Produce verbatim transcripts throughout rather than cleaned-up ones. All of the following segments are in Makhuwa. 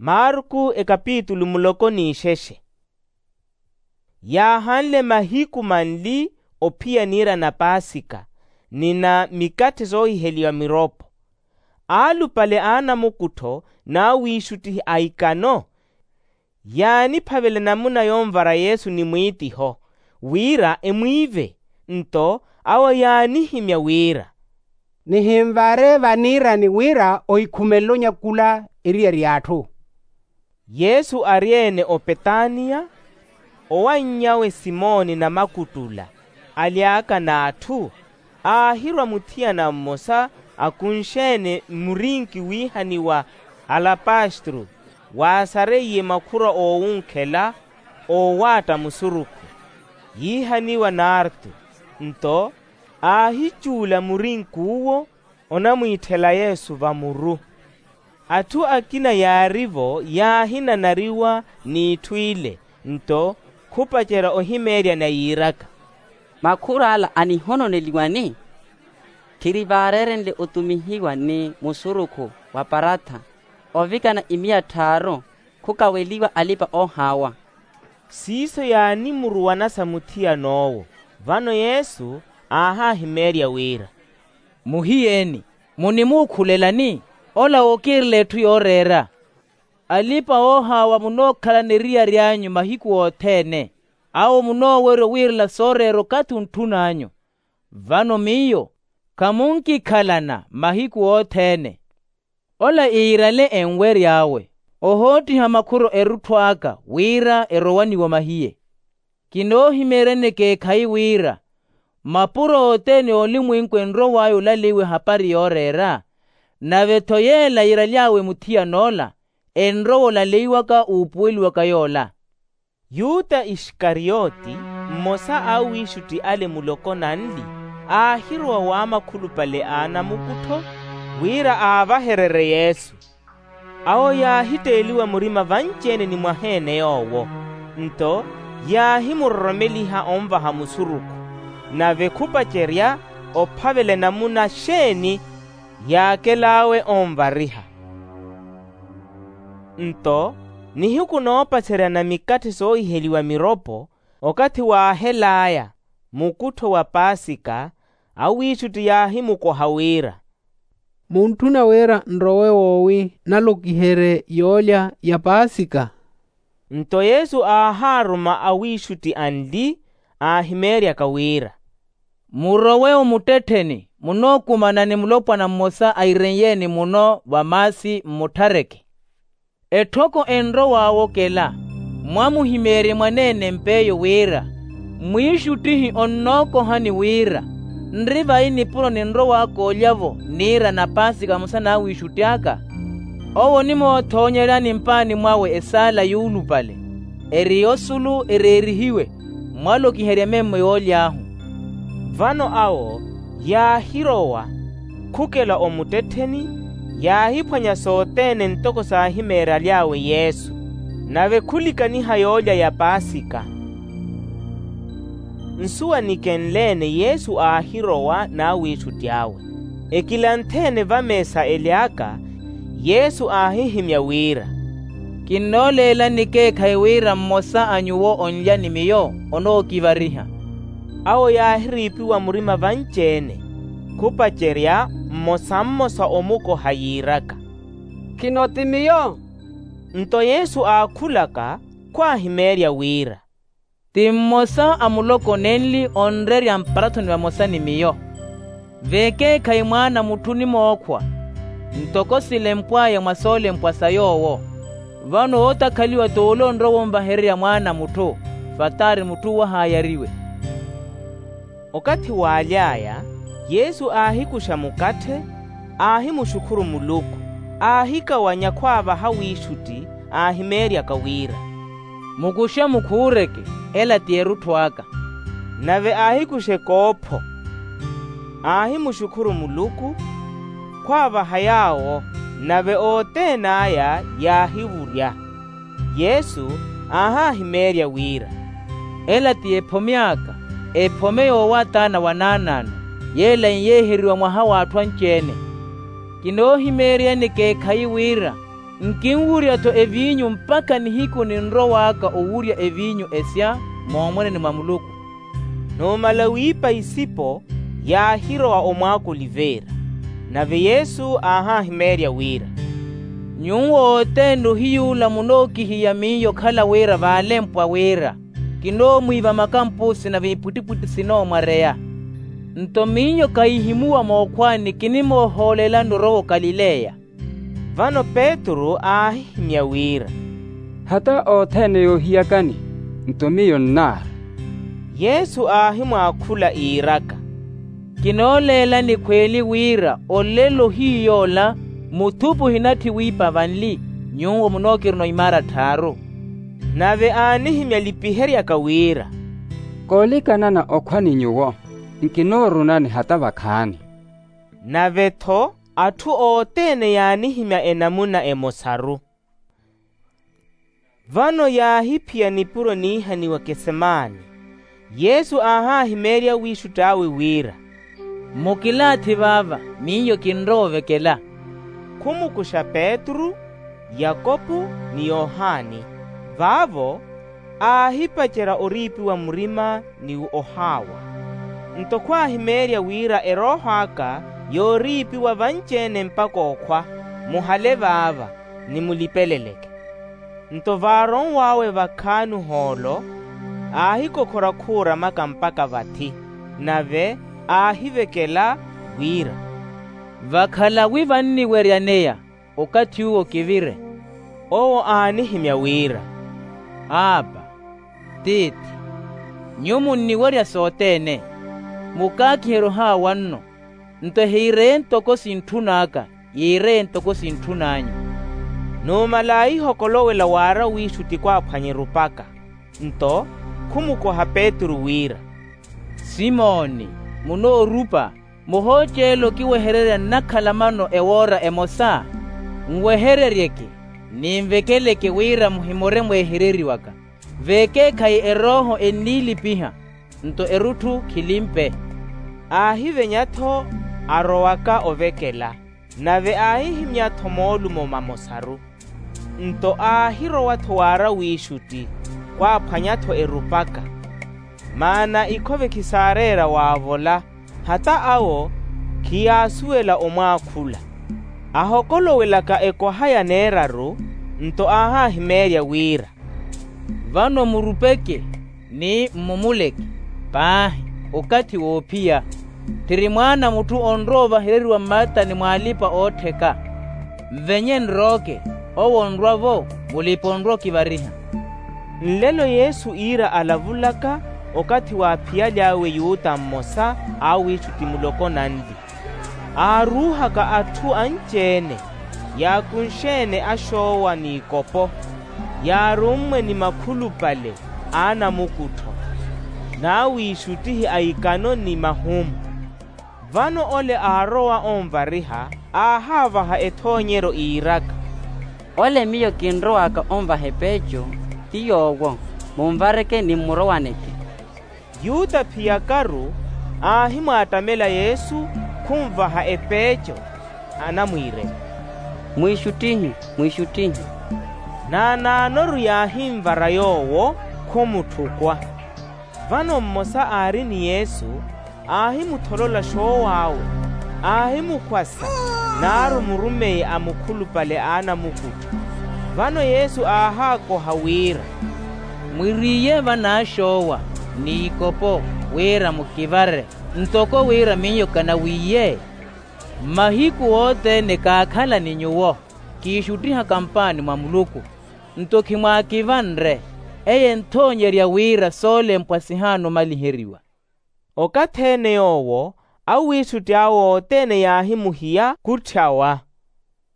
Marku ekapitulu muloko n'ixexe. Yaahanle mahiku manli ophiya niira na paasika ni na mikatthe soohiheliwa miropo. Aalupale a anamukuttho n'awiixuttihi a ikano yaaniphavela enamuna yonvara yesu ni mwiitiho wira emwiive. Nto awo yaanihimya wira, nihinvaare vaniirani wira ohikhumelela onyakula eriyari y'atthu. Yesu ari-ene opetaniya, owanny'awe simoni namakuttula, aly'aka n'atthu, aahirwa muthiyana mmosa akunxe-ene murinki wiihaniwa alapastru, waasareiye makhura oowunkhela oowaatta musurukhu, yiihaniwa nartu. Nto aahicuula murinki uwo onamwiitthela yesu vamuru. Atthu akina yaari-vo yaahinanariwa n'itthu ile. Nto khupacerya ohimeeryana yiiraka, makhur'ala anihononeliwani? Khirivaarerenle otumihiwa ni musurukhu wa paratha ovikana imiya tthaaru, khukaweliwa alipa-oohaawa. Siiso yaanimuruwanasa muthiyan'owo. Vano yesu aahahimeerya wira, muhiyeeni, munimuukhulelani? Ola ookiirela etthu yooreera. Alipa-oohaawa munookhalana eriyari anyu mahiku othene, awo munoowerya owiirela sooreera okathi ontthun'anyu. Vano miyo khamunkikhalana mahiku othene. Ola iirale enwery'awe ohoottiha makhuro erutthu aka wira erowaniwe omahiye. Kinoohimeeryani ekeekhayi wira mapuro othene a olimwenku enrow'aya olaleiwa ehapari yooreera, nave-tho yeela yiiraly'awe muthiyan'ola enrowa olaleiwaka uupuweliwaka yoola. Yuta iskarioti, mmosa a awiixutti ale muloko nanli, aahirowa w'amakhulupale a anamukuttho wira aavahererye yesu. Awo yaahitteeliwa murima vanci-ene ni mwaha-ene yoowo. Nto yaahimuroromeliha onvaha musurukhu, nave khupacerya ophavela enamuna xeeni yaakel'awe onvariha. Nto nihiku noopacerya na mikatthe soohiheliwa miropo, okathi waahel'aya mukuttho wa paasika, awiixutti yaahimukoha wira, muntthuna wira nrowe woowi nalokiherye yoolya ya paasika? Nto yesu aahaaruma awiixutti anli aahimeeryaka wira, murowe omuttettheni munookumana ni mulopwana mmosa airen'ye-ene muno va maasi mmutthareke. Etthoko enrow'awe okela mwamuhimeerye mwaneene mp'eyo wira, mwiixuttihi onnookohani wira nri vayi nipuro ninrow'aka olya-vo niira na paasika vamosa n'awiixutti aka. Owo onimoothoonyeryaani mpaani mwawe esaala yuulupale eri yosulu ereerihiwe mwalokiherya ememmo yooly'ahu. Vano awo yaahirowa khukela omuttettheni, yaahiphwanya sothene ntoko saahimeeraly'awe yesu, nave khulikaniha yoolya ya paasika. Nsuwa nikenle-ene yesu aahirowa n'awiixutti awe. Ekilanthe-ene vameesa ely'aka, yesu aahihimya wira, kinnooleelani ekeekhayi wira mmosa a nyuwo onlya ni miyo onookivariha. Awo yaahiriipiwa murima vanci-ene, khupacerya mmosa mmosa omukoha yiiraka, khino ti miyo? Nto yesu aakhulaka khwaahimeerya wira, ti mmosa a muloko nenli onrerya mparathoni vamosa ni miyo. V'ekeekhayi mwaana a mutthu onimookhwa ntoko silempw'aya mwa soolempwa sa yoowo. Vano wootakhaliwa t'ole onrowa onvahererya mwaana a mutthu vataari mutthu owo ahaayariwe. Okathi waaly'aya yesu aahikuxa mukatthe, aahimuxukhuru muluku, aahikawanya khwaavaha wiixutti aahimeeryaka wira, mukuxe mukhuureke, ela ti erutthu aka. Nave aahikuxa ekoopho, aahimuxukhuru muluku khwaavaha yaawo, nave othene aya yaahivurya. Yesu aahahimeerya wira, ela ti ephome aka, ephome yoowaathaana wa naanaano, yeela enyeeheriwa mwaha w'atthu anci-ene. Kinoohimeeryani ekeekhayi wira Nkinwurya-tho eviinyu mpakha nihiku ninrow'aka owurya eviinyu esya moomweneni mwa muluku. Numala wiipa isipo, yaahirowa omwaaka oliveira. Nave yesu aahahimeerya wira, nyuwo othene ohiyuula munookihiya miyo okhala wira vaalempwa wira kinoomwiiva makampusi nave ipwittipwitti sinoomwareya. Nto miyo kahihimuwa mookhwaani kinimoohoolelani orowa okalileya. Vano petru aahihimya wira, hata othene yoohiyakani, nto miyo nnaara. Yesu aahimwaakhula iiraka, kinooleelani khweeli wira olelo ohiyoola muthupi ohinatthi wiipa vanli, nyuwo munookirina ohimaara tthaaru. Nave aanihimya lipiheryaka wira, koolikanana okhwa ni nyuwo, nkinoorunani hata vakhaani. Nave-tho atthu othene yaanihimya enamuna emosaru. Vano yaahiphiya nipuro niihaniwa kesemani. Yesu aahahimeerya wiixutti awe wira, mukilaathi vaava, miyo kinrowa ovekela. Khumukuxa petru, yakopu, ni yohani. Vaavo aahipacerya oriipiwa murima ni ohaawa. Nto khwaahimeerya wira erooho aka yooriipiwa vanci-ene mpakha okhwa, muhale vaava, nimulipeleleke. Nto vaaronw'awe vakhaani ohoolo, aahikokhora khuuramaka mpakha vathi, nave aahivekela wira, vakhala wi vanniweryaneya, okathi uwo kivire. Owo aanihimya wira, aapa, tiithi, nyuwo munniwerya sothene, mukaakiherye ohaawa nno. Nto ehiireye ntoko sintthun'aka, yiireye ntoko sintthun'anyu. Numala aahihokolowela waara wiixutti khwaaphwanya erupaka. Nto khumukoha petru wira, simoni, munoorupa, muhooceela okiwehererya nnakhala mano ewoora emosa? Nwehereryeke, ninvekeleke wira muhimore mweehereriwaka. Veekeekhayi erooho enniilipiha, nto erutthu khilimpe. Aahivenya-tho arowaka ovekela, nave aahihimya-tho moolumo mamosaru. Nto aahirowa-tho waara wiixutti, khwaaphwanya-tho erupaka. Maana ikhove khisaareera waavola, hata awo khiyaasuwela omwaakhula. Ahokolowelaka ekoha ya neeraru, nto aahahimeerya wira, vano murupeke ni mmumuleke paahi, okathi woophiya. Tthiri mwaana a mutthu onrowa ovahereriwa mmattani mw'alipa-oottheka. Mvenye nrooke, owo onrwa-vo, mulipa onrwa okivariha. Nlelo yesu iira alavulaka, okathi waaphiyalyawe yuta mmosa a awiixutti muloko nanli, aaruuhaka atthu anci-ene, yaakunxe-ene axoowa n'ikopo, yaarummwe ni makhulupale a anamukuttho, n'awiixuttihi a ikano ni mahumu. Vano ole aarowa onvariha, aahaavaha ethoonyeryo iiraka, ole miyo kinrowaka onvaha epeeco, ti yoowo, munvareke ni mmurowaneke. Yuta phiyakaru aahimwaattamela yesu, khunvaha epeeco, anamwiirela, mwiixuttihi, mwiixuttihi. Naanaanoru yaahinvara yoowo, khumutthukwa. Vano mmosa aari ni yesu, aahimutholola xoow'awe, aahimukhwasa, naaru murumeye a mukhulupale a anamukuttho. Vano yesu aahaakoha wira, mwiriiye vanaaxoowa n'ikopo, wira mukivare, ntoko wira miyo kanawiiye. Mmahiku othene kaakhala ni nyuwo, kiixuttihaka mpaani mwa muluku. Nto khimwaakivanre, eye enthoonyerya wira soolempwa sihaana omaliheriwa. Okathi-ene yoowo, awiixutti awe othene yaahimuhiya khutthawa.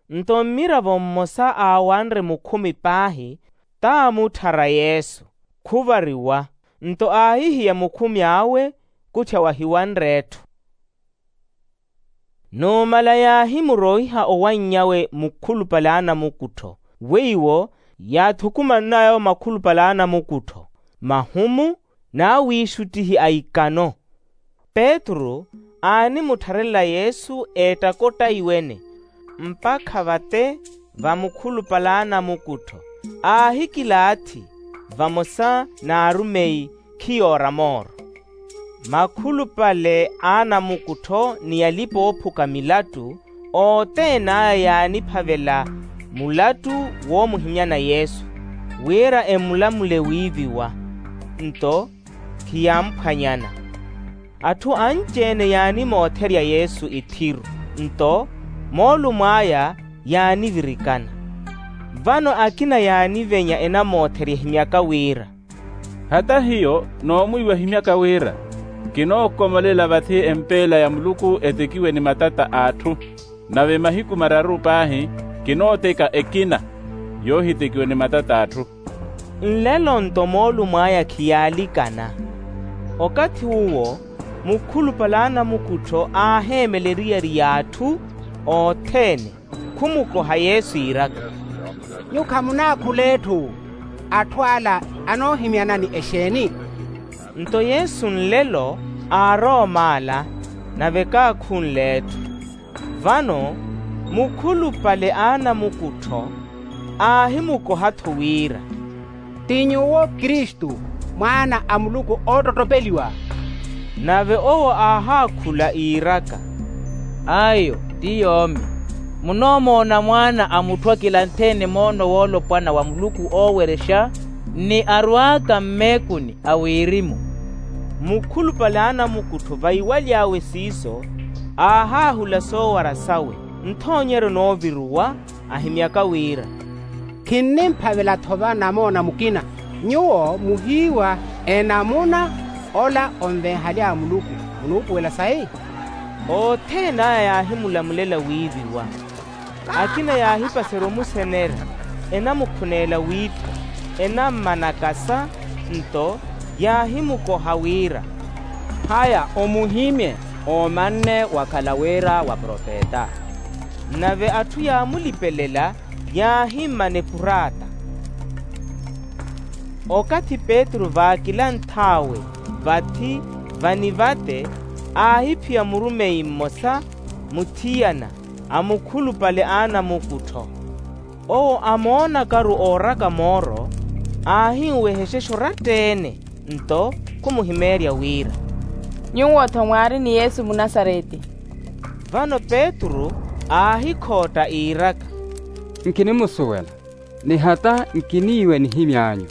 Nto mmiravo mmosa aawanre mukhumi paahi, t'amutthara yesu, khuvariwa. Nto aahihiya mukhumi awe, khutthawa ahiwanre etthu. Numala yaahimuroiha owanny'awe mukhulupale a anamukuttho, weiwo yaathukumann'aya makhulupale a anamukuttho, mahumu, n'awiixuttihi a ikano. Petru aanimuttharela yesu eettakottai wene, mpakha vate vamukhulupale a anamukuttho aahikilaathi vamosa n'arumeyi khiyoora mooro. Makhulupale a anamukuttho ni alipa-oophuka milattu othene aya yaaniphavela mulattu woomuhimyana yesu wira emulamule wiiviwa. Nto khiyamphwanyana. Atthu anci-ene yaanimootherya yesu ithiru nto moolumo aya yaanivirikana. Vano akina yaanivenya enamootherya ehimyaka wira, hata hiyo noomwiiwa ehimyaka wira kinookomolela vathi empeela ya muluku etekiwe ni matata a atthu. Nave mahiku mararu paahi kinooteka ekina yoohitekiwa ni matata a atthu. Nlelo nto moolumo aya khiyaalikana. Okathi uwo mukhulupale a anamukuttho aaheemela eriyari y'atthu othene khumukoha yesu iiraka, nyuwo khamunaakhula etthu. Atthu ala anoohimyanani exeeni? Nto yesu nlelo aaroom'ala nave kaakhunle etthu. Vano mukhulupale a anamukuttho aahimukoha-tho wira, ti nyuwo kristu, mwaana a muluku oottottopeliwa? Nave owo aahaakhula iiraka, ayo ti yoomi. Munoomoona mwaana a mutthu akilanthe-ene moono woolopwana wa muluku oowerexa ni arwaaka mmeekuni a wirimu. Mukhulupale a anamukuttho vaiwaly'awe siiso aahaahula soowara sawe nthoonyeryo nooviruwa ahimyaka wira, khinnimphavela-tho va namoona mukina. Nyuwo muhiiwa enamuna ola onvenhaly'awe muluku. Munuupuwela sayi? Othene aya yaahimulamulela wiiviwa. Akina yaahipaserya omusenera enamukhuneela wiipha enammanakasa. Nto yaahimukoha wira, haya omuhimye oomanne wakhala wira wa profeta. Nave atthu yaamulipelela yaahimmana epuraata. Okathi petru vaakilanth'awe vathi vanivate aahiphiya murumeyi mmosa muthiyana a mukhulupale a anamukuttho. Owo amoonakaru ooraka mooro aahinwehexexa oratta-ene nto khumuhimeerya wira, nyuwo-tho mwaari ni yesu munasareti. Vano petru aahikhootta iiraka, nkinimusuwela ni hata nkiniiwa enihimy'anyu.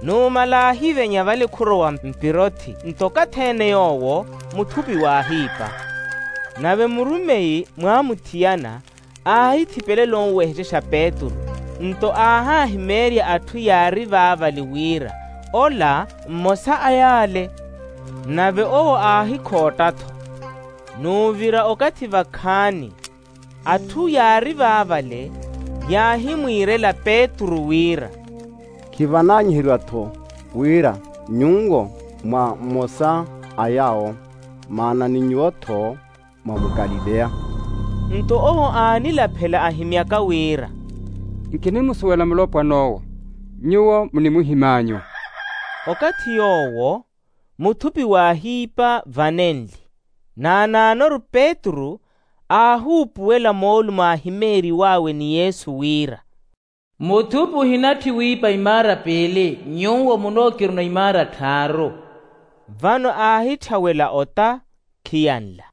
Numala aahivenya vale khurowa mpirothi nto okathi-ene yoowo muthupi waahiipa. Nave murumeyi mwaamuthiyana aahithipelela onwehexexa petru nto aahaahimeerya atthu yaari vaavale wira ola mmosa a yaale. Nave owo aahikhootta-tho. Nuuvira okathi vakhaani atthu yaari vaavale yaahimwiirela petru wira, khivananyiheriwa-tho wira nyuwo mwa mmosa a yaawo maana ni nyuwo-tho mwa mukalileya. Nto owo aanilaphela ahimyaka wira, nkinimusuwela mulopwan'owo. Nyuwo munimuhim'anyu. Okathi yoowo muthupi waahiipa vanenli. Naanaanoru petru aahuupuwela moolumo aahimeeriw'awe ni yesu wira, muthupi ohinatthi wiipa imaara piili nyuwo munookiruna imaara tthaaru. Vano aahitthawela ota khiyanla.